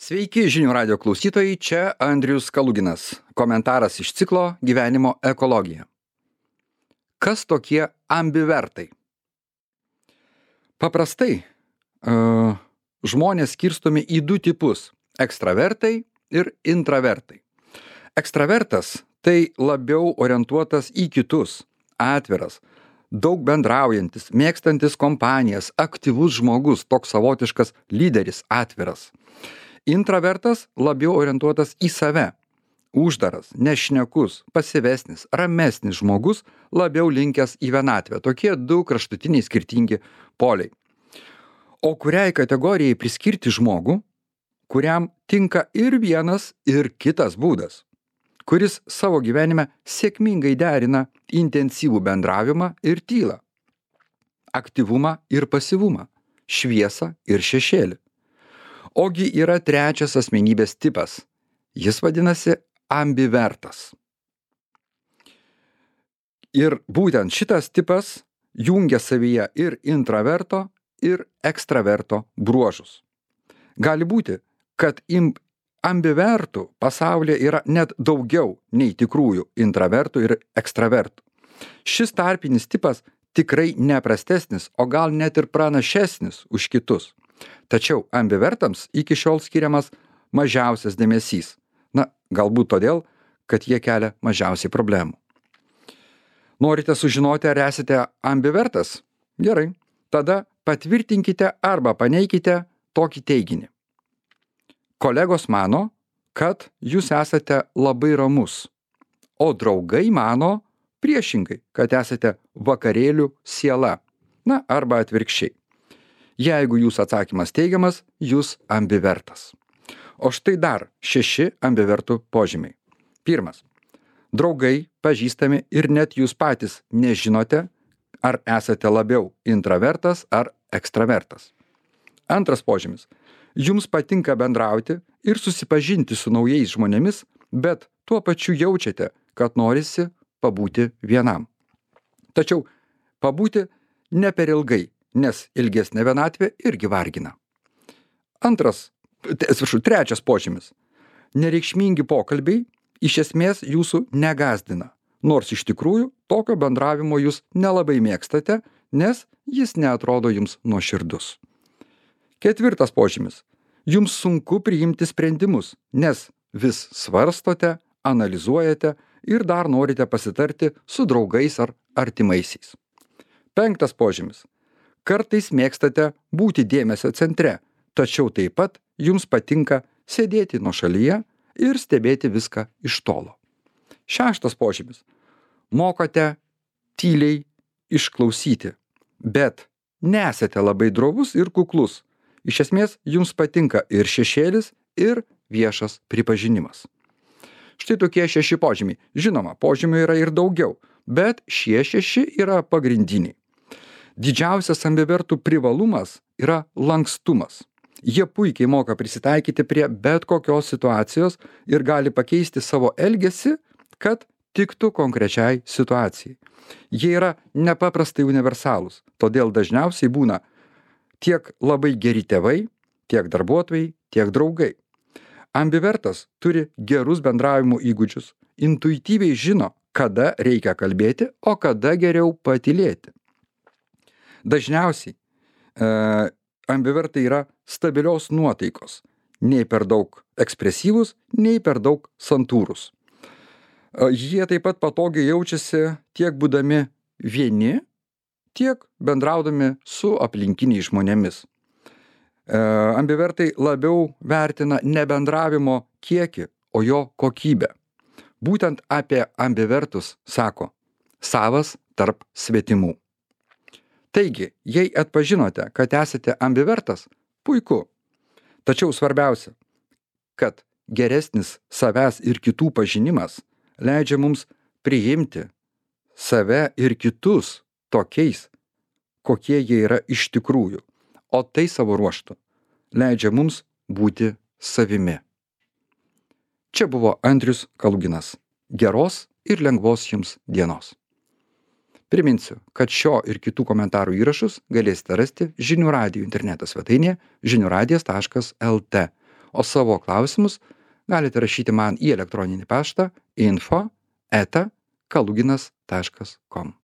Sveiki žinių radio klausytojai, čia Andrius Kaluginas. Komentaras iš ciklo Gyvenimo ekologija. Kas tokie ambivertai? Paprastai žmonės skirstomi į du tipus – ekstravertai ir intravertai. Ekstravertas – tai labiau orientuotas į kitus, atviras, daug bendraujantis, mėgstantis kompanijas, aktyvus žmogus, toks savotiškas lyderis, atviras. Intravertas labiau orientuotas į save. Uždaras, nešnekus, pasyvesnis, ramesnis žmogus, labiau linkęs į vienatvę. Tokie du kraštutiniai skirtingi poliai. O kuriai kategorijai priskirti žmogų, kuriam tinka ir vienas, ir kitas būdas, kuris savo gyvenime sėkmingai derina intensyvų bendravimą ir tylą, aktyvumą ir pasyvumą, šviesą ir šešėlį. Ogi yra trečias asmenybės tipas. Jis vadinasi ambivertas. Ir būtent šitas tipas jungia savyje ir intraverto, ir ekstraverto bruožus. Gali būti, kad ambivertų pasaulyje yra net daugiau nei tikrųjų intravertų ir ekstravertų. Šis tarpinis tipas tikrai neprastesnis, o gal net ir pranašesnis už kitus. Tačiau ambivertams iki šiol skiriamas mažiausias dėmesys. Galbūt todėl, kad jie kelia mažiausiai problemų. Norite sužinoti, ar esate ambivertas? Gerai. Tada patvirtinkite arba paneikite tokį teiginį. Kolegos mano, kad jūs esate labai ramus, o draugai mano priešingai, kad esate vakarėlių siela. Arba atvirkščiai. Jeigu jūsų atsakymas teigiamas, jūs ambivertas. O štai dar 6 ambivertų požymiai. Pirmas. Draugai, pažįstami ir net jūs patys nežinote, ar esate labiau intravertas ar ekstravertas. Antras požymis. Jums patinka bendrauti ir susipažinti su naujais žmonėmis, bet tuo pačiu jaučiate, kad norisi pabūti vienam. Tačiau pabūti ne per ilgai, nes ilgesnė vienatvė irgi vargina. Trečias požymis. Nereikšmingi pokalbiai iš esmės jūsų negąsdina, nors iš tikrųjų tokio bendravimo jūs nelabai mėgstate, nes jis neatrodo jums nuoširdus. Ketvirtas požymis. Jums sunku priimti sprendimus, nes vis svarstote, analizuojate ir dar norite pasitarti su draugais ar artimaisiais. Penktas požymis. Kartais mėgstate būti dėmesio centre, tačiau taip pat jums patinka sėdėti nuošalyje ir stebėti viską iš tolo. Šeštas požymis. Mokate tyliai išklausyti, bet nesate labai drovus ir kuklus. Iš esmės, jums patinka ir šešėlis, ir viešas pripažinimas. Štai tokie 6 požymiai. Žinoma, požymių yra ir daugiau, bet šie 6 yra pagrindiniai. Didžiausias ambivertų privalumas yra lankstumas. Jie puikiai moka prisitaikyti prie bet kokios situacijos ir gali pakeisti savo elgesį, kad tiktų konkrečiai situacijai. Jie yra nepaprastai universalūs, todėl dažniausiai būna tiek labai geri tėvai, tiek darbuotojai, tiek draugai. Ambivertas turi gerus bendravimo įgūdžius, intuityviai žino, kada reikia kalbėti, o kada geriau patylėti. Dažniausiai ambivertai yra stabilios nuotaikos, nei per daug ekspresyvūs, nei per daug santūrūs. Jie taip pat patogiai jaučiasi tiek būdami vieni, tiek bendraudami su aplinkiniais žmonėmis. Ambivertai labiau vertina ne bendravimo kiekį, o jo kokybę. Būtent apie ambivertus sako savas tarp svetimų. Taigi, jei atpažinote, kad esate ambivertas, puiku. Tačiau svarbiausia, kad geresnis savęs ir kitų pažinimas leidžia mums priimti save ir kitus tokiais, kokie jie yra iš tikrųjų, o tai savo ruožtu leidžia mums būti savimi. Čia buvo Andrius Kaluginas. Geros ir lengvos jums dienos. Priminsiu, kad šio ir kitų komentarų įrašus galėsite rasti Žinių radijo interneto svetainėje žiniųradijas.lt, o savo klausimus galite rašyti man į elektroninį paštą info@kaluginas.com.